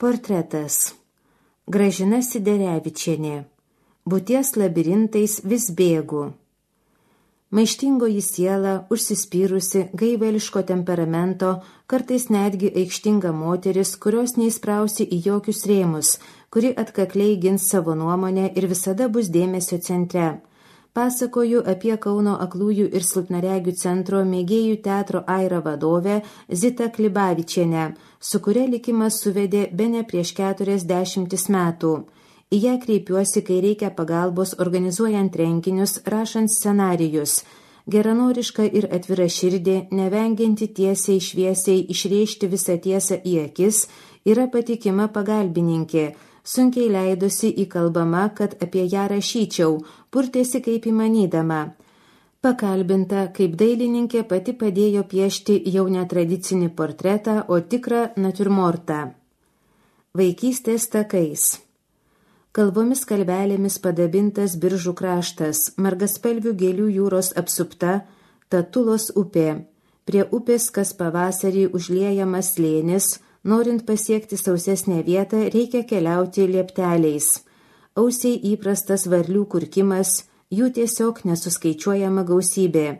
Portretas. Gražina Siderevičienė. Būties labirintais vis bėgu. Maištingoji siela, užsispyrusi, gaiveliško temperamento, kartais netgi aikštinga moteris, kurios neįsprausi į jokius rėmus, kuri atkakliai gins savo nuomonę ir visada bus dėmesio centre. Pasakoju apie Kauno aklųjų ir silpnaregių centro mėgėjų teatro Aira vadovę Zitą Klibavičienę, su kuria likimas suvedė bene prieš 40 metų. Į ją kreipiuosi, kai reikia pagalbos organizuojant renginius, rašant scenarijus. Geranoriška ir atvira širdė, nevengianti tiesiai šviesiai išrėžti visą tiesą į akis, yra patikima pagalbininkė. Sunkiai leidosi įkalbama, kad apie ją rašyčiau, purtėsi kaip įmanydama. Pakalbinta, kaip dailininkė pati padėjo piešti jau netradicinį portretą, o tikrą natiurmortą. Vaikystės takais. Kalvomis kalvelėmis padabintas Biržų kraštas, margaspalvių gėlių jūros apsupta, Tatulos upė. Prie upės kas pavasarį užliejamas slėnis, norint pasiekti sausesnę vietą, reikia keliauti liepteliais. Ausiai įprastas varlių kurkimas, jų tiesiog nesuskaičiuojama gausybė.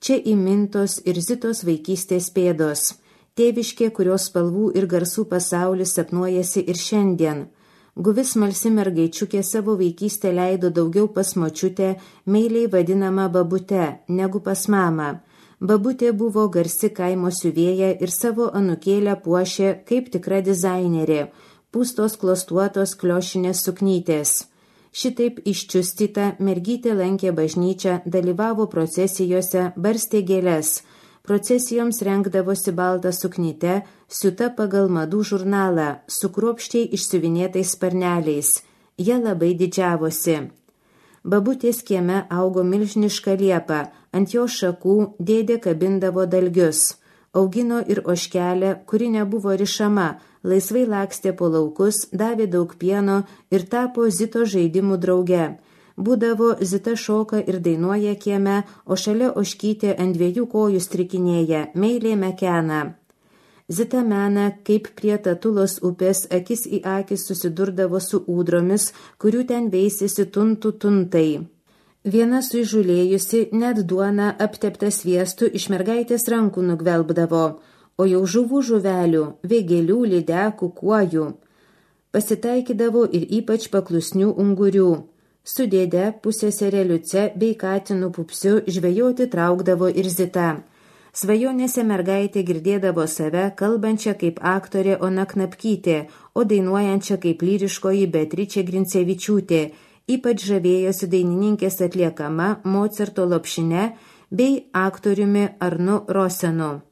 Čia įmintos ir Zitos vaikystės pėdos, tėviškė, kurios spalvų ir garsų pasaulis sapnuojasi ir šiandien. Guvis smalsi mergaičiukė savo vaikystę leido daugiau pas močiutę, meiliai vadinama babute, negu pas mamą. Babutė buvo garsi kaimo siuvėja ir savo anūkėlę puošė kaip tikra dizainerė, pūstos klostuotos kliošinės suknytės. Šitaip iščiustyta mergytė lankė bažnyčią, dalyvavo procesijose, barstė gėles. Procesijoms rengdavosi baltą suknytę, siuta pagal madų žurnalą, su kruopščiai išsiuvinėtais sparneliais. Jie labai didžiavosi. Babutės kieme augo milžiniška liepa, ant jo šakų dėdė kabindavo dalgius. Augino ir ožkelę, kuri nebuvo rišama, laisvai lakstė po laukus, davė daug pieno ir tapo Zito žaidimų drauge. Būdavo Zita šoka ir dainuoja kieme, o šalia ožkytė ant 2 kojų strikinėja, meiliai mekena. Zita mena, kaip prie Tatulos upės akis į akis susidurdavo su ūdromis, kurių ten veisėsi tuntai. Viena suįžulėjusi net duona aptepta sviestu iš mergaitės rankų nugvelbdavo, o jau žuvelių, vėgėlių, lydekų, kuojų. Pasitaikydavo ir ypač paklusnių ungurių. Su dėde, pusseserė Liuce bei katinu Pupsiu žvejoti traukdavo ir Zita. Svajonėse mergaitė girdėdavo save, kalbančią kaip aktorė Ona Knapkytė, o dainuojančią kaip lyriškoji Beatričė Grincevičiūtė, ypač žavėjosi dainininkės atliekama Mocarto Lopšine bei aktoriumi Arnu Rosenu.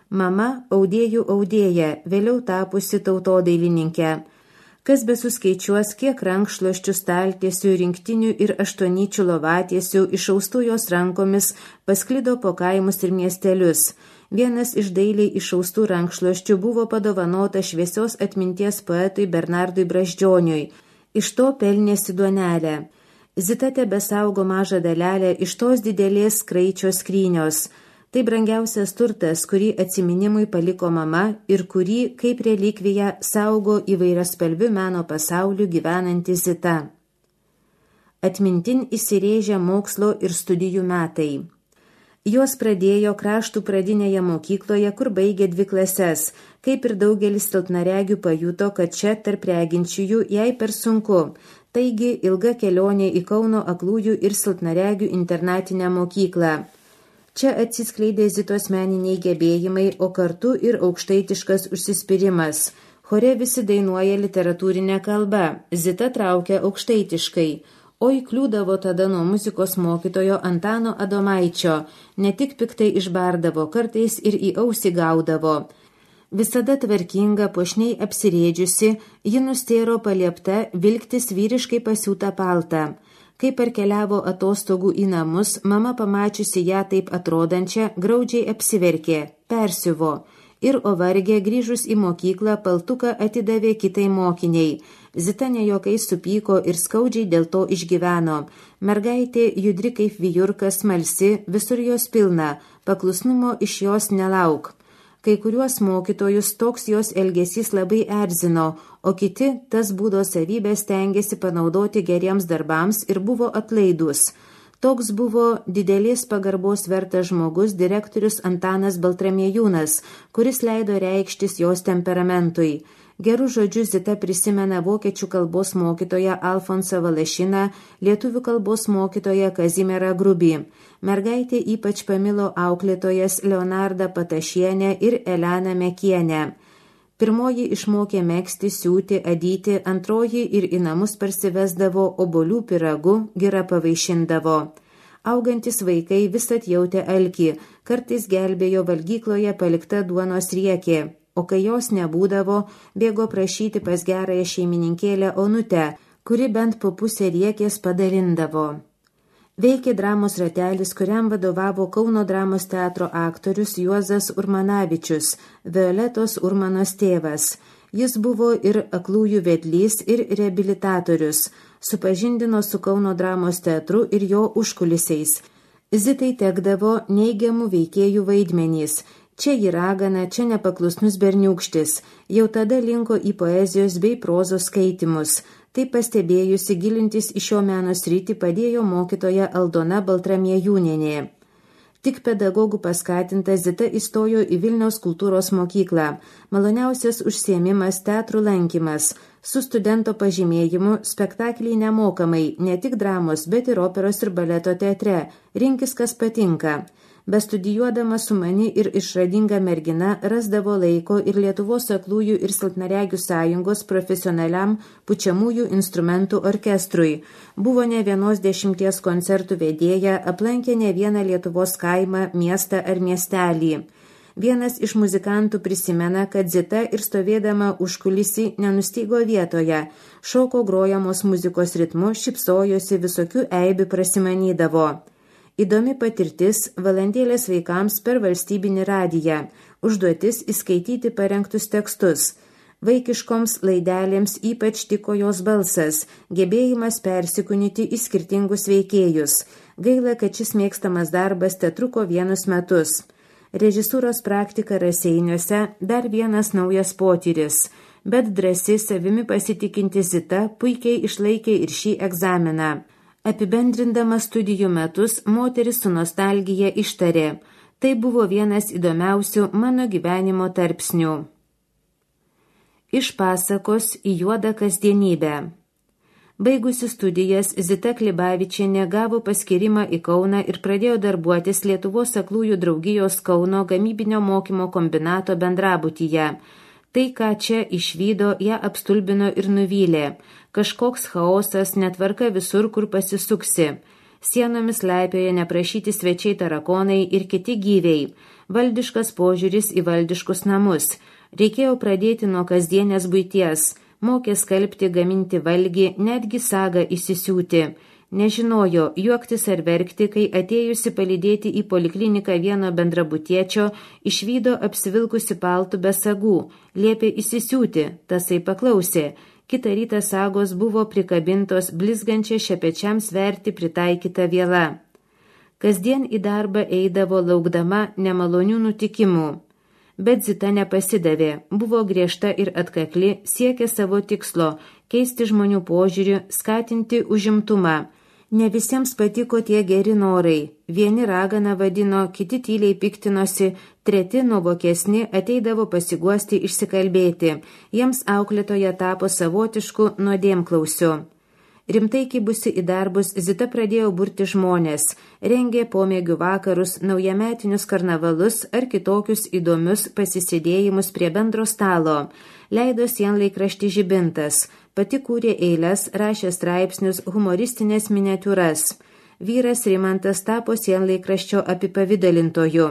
Mama audėjų audėja, vėliau tapusi tautodailininkė. Kas besuskaičiuos, kiek rankšluosčių, staltiesių, rinktinių ir 8 lovatiesių išaustų jos rankomis pasklido po kaimus ir miestelius. Vienas iš dailiai išaustų rankšluosčių buvo padovanota šviesios atminties poetui Bernardui Brazdžioniui. Iš to pelnėsi duonelę. Zita tebesaugo mažą dalelę iš tos didelės kraičio skrynios. Tai brangiausias turtas, kurį atsiminimui paliko mama ir kurį, kaip relikvija, saugo įvairiaspalvių meno pasaulių gyvenanti Zita. Atmintin įsirėžė mokslo ir studijų metai. Jos pradėjo Kraštų pradinėje mokykloje, kur baigė 2 klases. Kaip ir daugelis silpnaregių pajuto, kad čia tarp reginčiųjų jai per sunku. Taigi ilga kelionė į Kauno aklųjų ir silpnaregių internatinę mokyklą. Čia atsiskleidė Zitos meniniai gebėjimai, o kartu ir aukštaitiškas užsispyrimas. Chore visi dainuoja literatūrinę kalbą, Zita traukia aukštaitiškai. Oi kliūdavo tada nuo muzikos mokytojo Antano Adomaičio, ne tik piktai išbardavo, kartais ir į ausį gaudavo. Visada tvarkinga, puošniai apsirėdžiusi, ji nustėro paliepta vilktis vyriškai pasiūtą paltą. Kai parkeliavo atostogų į namus, mama pamačiusi ją taip atrodančią, graudžiai apsiverkė, persiuvo. Ir ovargė grįžus į mokyklą paltuką atidavė kitai mokiniai. Zita nejokais supyko ir skaudžiai dėl to išgyveno. Mergaitė judri kaip vijurka, smalsi, visur jos pilna, paklusnumo iš jos nelauk. Kai kuriuos mokytojus toks jos elgesys labai erzino, o kiti tas būdo savybės stengiasi panaudoti geriems darbams ir buvo atlaidus. Toks buvo didelės pagarbos vertas žmogus direktorius Antanas Baltramiejūnas, kuris leido reikštis jos temperamentui. Gerų žodžių Zita prisimena vokiečių kalbos mokytoją Alfonsą Valašiną, lietuvių kalbos mokytoją Kazimierą Grubį. Mergaitė ypač pamilo auklėtojas Leonardą Patašienę ir Eleną Mekienę. Pirmoji išmokė megzti, siūti, adyti, antroji ir į namus parsivesdavo obuolių pyragu, gira pavaišindavo. Augantis vaikai visat jautė alkį, kartais gelbėjo valgykloje palikta duonos riekė, o kai jos nebūdavo, bėgo prašyti pas gerąją šeimininkėlę Onutę, kuri bent po pusę riekės padalindavo. Veikė dramos ratelis, kuriam vadovavo Kauno dramos teatro aktorius Juozas Urmanavičius, Violetos Urmanos tėvas. Jis buvo ir aklųjų vedlys, ir reabilitatorius, supažindino su Kauno dramos teatru ir jo užkulisiais. Zitai tekdavo neigiamų veikėjų vaidmenys. Čia ji ragana, čia nepaklusnus berniūkštis. Jau tada linko į poezijos bei prozos skaitimus. Tai pastebėjusi gilintis į šio meno sritį padėjo mokytoja Aldona Baltramiejūnienė. Tik pedagogų paskatinta Zita įstojo į Vilniaus kultūros mokyklą. Maloniausias užsiėmimas teatrų lankymas. Su studento pažymėjimu spektakliai nemokamai, ne tik dramos, bet ir operos ir baleto teatre. Rinkis, kas patinka. Bestudijuodama sumani ir išradinga mergina rasdavo laiko ir Lietuvos aklųjų ir silpnaregių sąjungos profesionaliam pučiamųjų instrumentų orkestrui. Buvo ne vienos 10 koncertų vedėja, aplankė ne vieną Lietuvos kaimą, miestą ar miestelį. Vienas iš muzikantų prisimena, kad Zita ir stovėdama užkulisį nenustygo vietoje, šoko grojamos muzikos ritmu, šipsojosi, visokių eibių prasimanydavo. Įdomi patirtis valandėlės vaikams per valstybinį radiją, užduotis įskaityti parengtus tekstus. Vaikiškoms laidelėms ypač tiko jos balsas, gebėjimas persikūnyti į skirtingus veikėjus. Gaila, kad šis mėgstamas darbas tetruko 1 metus. Režisūros praktika Raseiniuose dar vienas naujas potyris, bet drąsi savimi pasitikinti Zita puikiai išlaikė ir šį egzaminą. Apibendrindama studijų metus, moteris su nostalgija ištarė: tai buvo vienas įdomiausių mano gyvenimo tarpsnių. Iš pasakos į juodą kasdienybę. Baigusi studijas, Zita Klibavičienė gavo paskyrimą į Kauną ir pradėjo darbuotis Lietuvos aklųjų draugijos Kauno gamybinio mokymo kombinato bendrabutyje. Tai, ką čia išvydo, ją apstulbino ir nuvylė. Kažkoks chaosas, netvarka visur, kur pasisuksi. Sienomis leipioja neprašyti svečiai tarakonai ir kiti gyviai. Valdiškas požiūris į valdiškus namus. Reikėjo pradėti nuo kasdienės buities. Mokė skalbti, gaminti valgį, netgi sagą įsisiūti. Nežinojo, juoktis ar verkti, kai atėjusi palydėti į polikliniką vieno bendrabutiečio, išvydo apsivilkusi paltų be sagų, liepė įsisiūti, tasai paklausė. Kitą rytą sagos buvo prikabintos blizgančia šepečiam sverti pritaikyta viela. Kasdien į darbą eidavo laukdama nemalonių nutikimų. Bet Zita nepasidavė, buvo griežta ir atkakli, siekė savo tikslo – keisti žmonių požiūrį, skatinti užimtumą. Ne visiems patiko tie geri norai. Vieni raganą vadino, kiti tyliai piktinosi, treti nuovokesni ateidavo pasiguosti išsikalbėti. Jiems auklėtoja tapo savotišku nuodėmklausiu. Rimtai kibusi į darbus, Zita pradėjo burti žmonės, rengė pomėgių vakarus, naujametinius karnavalus ar kitokius įdomius pasisėdėjimus prie bendro stalo, leido sienlaikraštį Žibintas, pati kūrė eiles, rašė straipsnius, humoristinės miniatiūras. Vyras Rimantas tapo sienlaikraščio apipavidalintoju.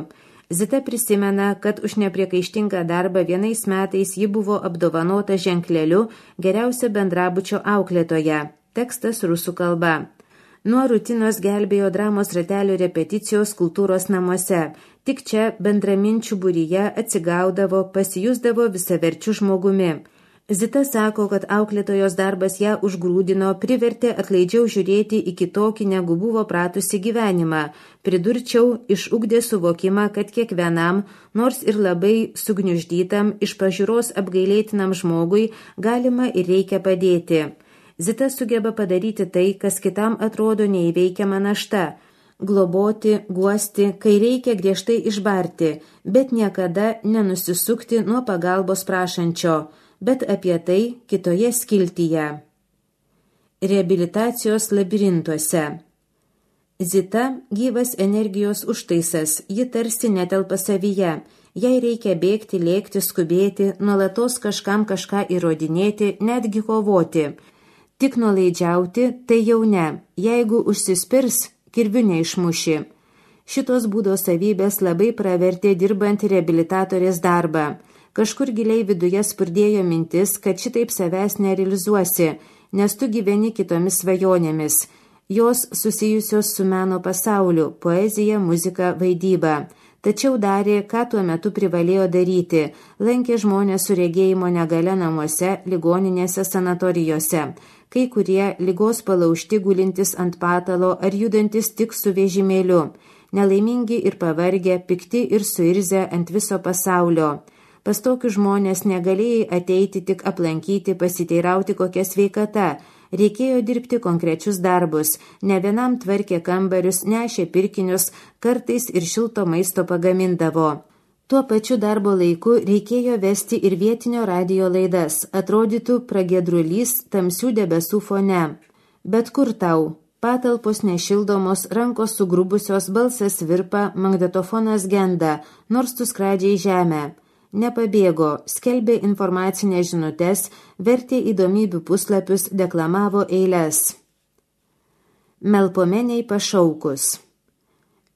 Zita prisimena, kad už nepriekaištingą darbą vienais metais ji buvo apdovanota ženkleliu geriausia bendrabučio auklėtoja. Tekstas rusų kalba. Nuo rutinos gelbėjo dramos ratelio repeticijos kultūros namuose. Tik čia bendraminčių būryje atsigaudavo, pasijusdavo visaverčių žmogumi. Zita sako, kad auklėtojos darbas ją užgrūdino, privertė atlaidžiau žiūrėti į kitokį, negu buvo pratusi gyvenimą. Pridurčiau, išugdė suvokimą, kad kiekvienam, nors ir labai sugniuždytam, iš pažiūros apgailėtinam žmogui galima ir reikia padėti. Zita sugeba padaryti tai, kas kitam atrodo neįveikiama našta. Globoti, guosti, kai reikia griežtai išbarti, bet niekada nenusisukti nuo pagalbos prašančio. Bet apie tai kitoje skiltyje. Reabilitacijos labirintuose. Zita gyvas energijos užtaisas, ji tarsi netelpa savyje. Jai reikia bėgti, lėkti, skubėti, nuolatos kažkam kažką įrodinėti, netgi kovoti. Tik nuolaidžiauti, tai jau ne. Jeigu užsispirs, kirviu neišmuši. Šitos būdo savybės labai pravertė dirbant reabilitatorės darbą. Kažkur giliai viduje spurdėjo mintis, kad šitaip savęs nerealizuosi, nes tu gyveni kitomis svajonėmis. Jos susijusios su meno pasauliu, poezija, muzika, vaidyba. Tačiau darė, ką tuo metu privalėjo daryti. Lankė žmonės su regėjimo negale namuose, ligoninėse, sanatorijose. Kai kurie ligos palaužti gulintis ant patalo ar judantis tik su vežimėliu. Nelaimingi ir pavargę, pikti ir suirzę ant viso pasaulio. Pas tokius žmonės negalėjai ateiti tik aplankyti, pasiteirauti kokia sveikata. Reikėjo dirbti konkrečius darbus. Ne vienam tvarkė kambarius, nešė pirkinius, kartais ir šilto maisto pagamindavo. Tuo pačiu darbo laiku reikėjo vesti ir vietinio radijo laidas. Atrodytų pragiedrulys tamsių debesų fone. Bet kur tau? Patalpos nešildomos, rankos sugrubusios, balsas virpa, magnetofonas genda, nors tu skradžiai žemę. Nepabėgo, skelbė informacinės žinutes, vertė įdomybių puslapius, deklamavo eiles. Melpomeniai pašaukus.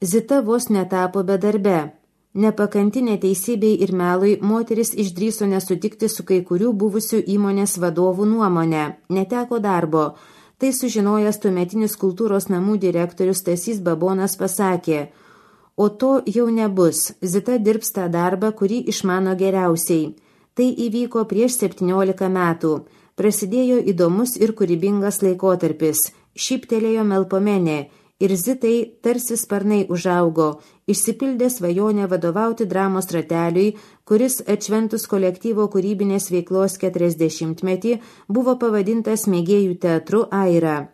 Zita vos netapo bedarbe. Nepakanti neteisybei ir melui, moteris išdrįso nesutikti su kai kurių buvusių įmonės vadovų nuomonę. Neteko darbo. Tai sužinojęs tuometinis kultūros namų direktorius Stasys Babonas pasakė: o to jau nebus, Zita dirbs tą darbą, kurį išmano geriausiai. Tai įvyko prieš 17 metų. Prasidėjo įdomus ir kūrybingas laikotarpis. Šyptelėjo Melpomenė ir Zitai tarsi sparnai užaugo. Išsipildė svajonę vadovauti dramos rateliui, kuris atšventus kolektyvo kūrybinės veiklos 40-metį buvo pavadintas mėgėjų teatru Aira.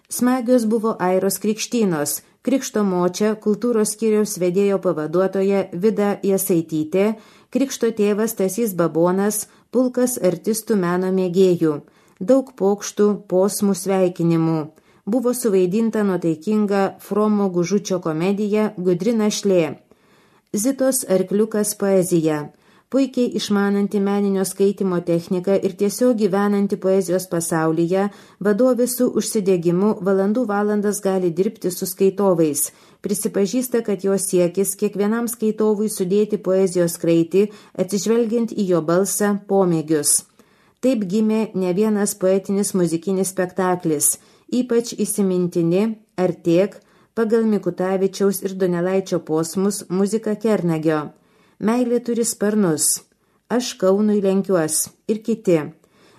Smagios buvo Airos krikštynos. Krikšto močia, kultūros skyriaus vedėjo pavaduotoja Vida Jasaitytė, krikšto tėvas Stasys Babonas, pulkas artistų meno mėgėjų. Daug pokštų, posmų, sveikinimų. Buvo suvaidinta nuotaikinga Fromo Gužučio komedija Gudri našlė. Zitos arkliukas poezija. Puikiai išmananti meninio skaitymo techniką ir tiesiog gyvenanti poezijos pasaulyje, vadovė su užsidegimu valandų valandas gali dirbti su skaitovais. Prisipažįsta, kad jos siekis kiekvienam skaitovui sudėti poezijos kraitį, atsižvelgiant į jo balsą, pomėgius. Taip gimė ne vienas poetinis muzikinis spektaklis, ypač įsimintini Artėk, pagal Mikutavičiaus ir Donelaičio posmus muzika Kernagio. Meilė turi sparnus, aš Kaunui lenkiuos ir kiti.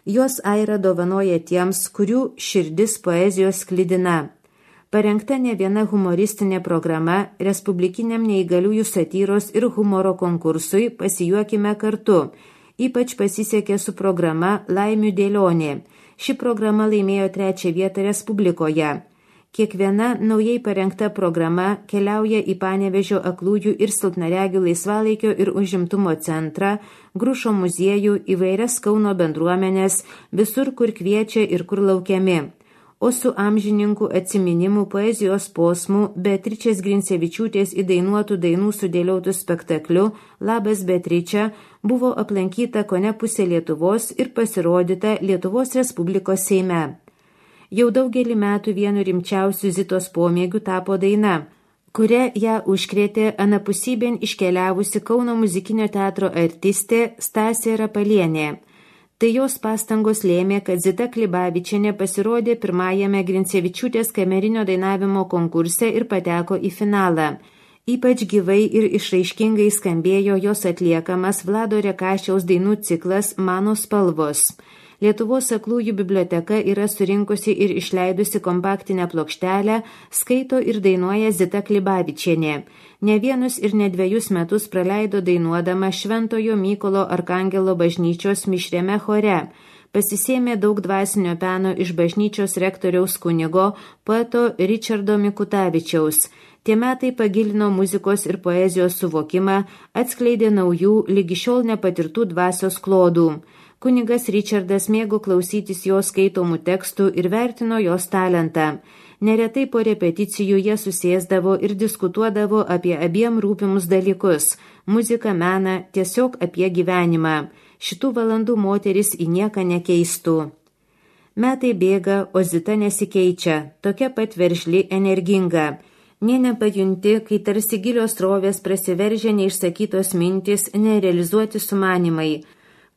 Juos Aira dovanoja tiems, kurių širdis poezijos sklidina. Parengta ne viena humoristinė programa Respublikiniam neįgaliųjų satyros ir humoro konkursui Pasijuokime kartu. Ypač pasisekė su programa Laimių dėlionė. Ši programa laimėjo 3 vietą Respublikoje. Kiekviena naujai parengta programa keliauja į Panevėžio aklųjų ir silpnaregių laisvalaikio ir užimtumo centrą, Grušo muziejų, įvairias Kauno bendruomenės, visur, kur kviečia ir kur laukiami. O su amžininkų atsiminimų poezijos posmų Beatričės Grincevičiūtės įdainuotų dainų sudėliotų spektakliu Labas Beatričia buvo aplankyta kone pusė Lietuvos ir pasirodyta Lietuvos Respublikos Seime. Jau daugelį metų vienu rimčiausių Zitos pomėgių tapo daina, kuria ją užkrėtė anapusybėn iškeliavusi Kauno muzikinio teatro artistė Stasė Rapalienė. Tai jos pastangos lėmė, kad Zita Klibavičienė pasirodė pirmajame Grincevičiūtės kamerinio dainavimo konkurse ir pateko į finalą. Ypač gyvai ir išraiškingai skambėjo jos atliekamas Vlado Rekašiaus dainų ciklas Mano spalvos. Lietuvos aklųjų biblioteka yra surinkusi ir išleidusi kompaktinę plokštelę, skaito ir dainuoja Zita Klibavičienė. Ne vienus ir ne 2 metus praleido dainuodama Šventojo Mykolo Arkangelo bažnyčios mišriame chore. Pasisėmė daug dvasinio peno iš bažnyčios rektoriaus kunigo, poeto Ričardo Mikutavičiaus. Tie metai pagilino muzikos ir poezijos suvokimą, atskleidė naujų, lygi šiol nepatirtų dvasios klodų. Kunigas Ričardas mėgo klausytis jos skaitomų tekstų ir vertino jos talentą. Neretai po repeticijų jie susėsdavo ir diskutuodavo apie abiem rūpimus dalykus – muziką, meną, tiesiog apie gyvenimą. Šitų valandų moteris į nieką nekeistų. Metai bėga, o Zita nesikeičia, tokia pat veržli, energinga. Nė nepajunti, kai tarsi gilios srovės prasiveržia neišsakytos mintis, nerealizuoti sumanimai.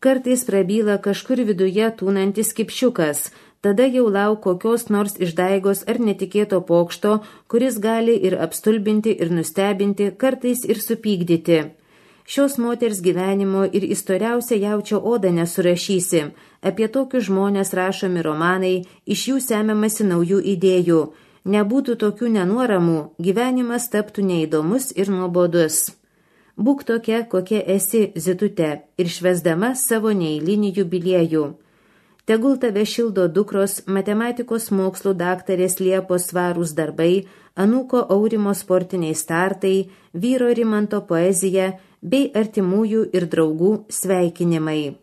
Kartais prabyla kažkur viduje tūnantis kipšiukas, tada jau lauk kokios nors išdaigos ar netikėto pokšto, kuris gali ir apstulbinti, ir nustebinti, kartais ir supykdyti. Šios moters gyvenimo ir istoriausią jaučio odą nesurašysi. Apie tokius žmonės rašomi romanai, iš jų semiamasi naujų idėjų. Nebūtų tokių nenuoramų, gyvenimas taptų neįdomus ir nuobodus. Būk tokia, kokia esi, Zitute, ir švęsdama savo neeilinį jubiliejų. Tegul tave šildo dukros, matematikos mokslų daktarės Liepos svarūs darbai, anūko Aurimo sportiniai startai, vyro Rimanto poezija bei artimųjų ir draugų sveikinimai.